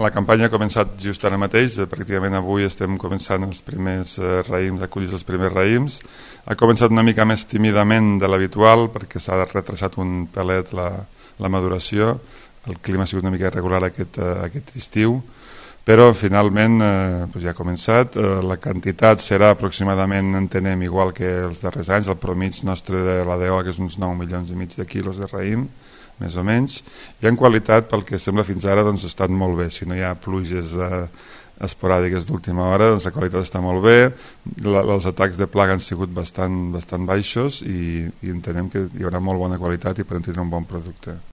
La campanya ha començat just ara mateix, pràcticament avui estem començant els primers raïms, a collir els primers raïms. Ha començat una mica més tímidament de l'habitual perquè s'ha retrasat un pelet la maduració. El clima ha sigut una mica irregular aquest estiu, però finalment ja ha començat. La quantitat serà aproximadament, entenem, igual que els darrers anys. El promig nostre de la DO que és uns 9 milions i mig de quilos de raïm, més o menys, i en qualitat, pel que sembla fins ara, doncs ha estat molt bé. Si no hi ha pluges esporàdiques d'última hora, doncs la qualitat està molt bé. Els atacs de plaga han sigut bastant baixos i entenem que hi haurà molt bona qualitat i podem tenir un bon producte.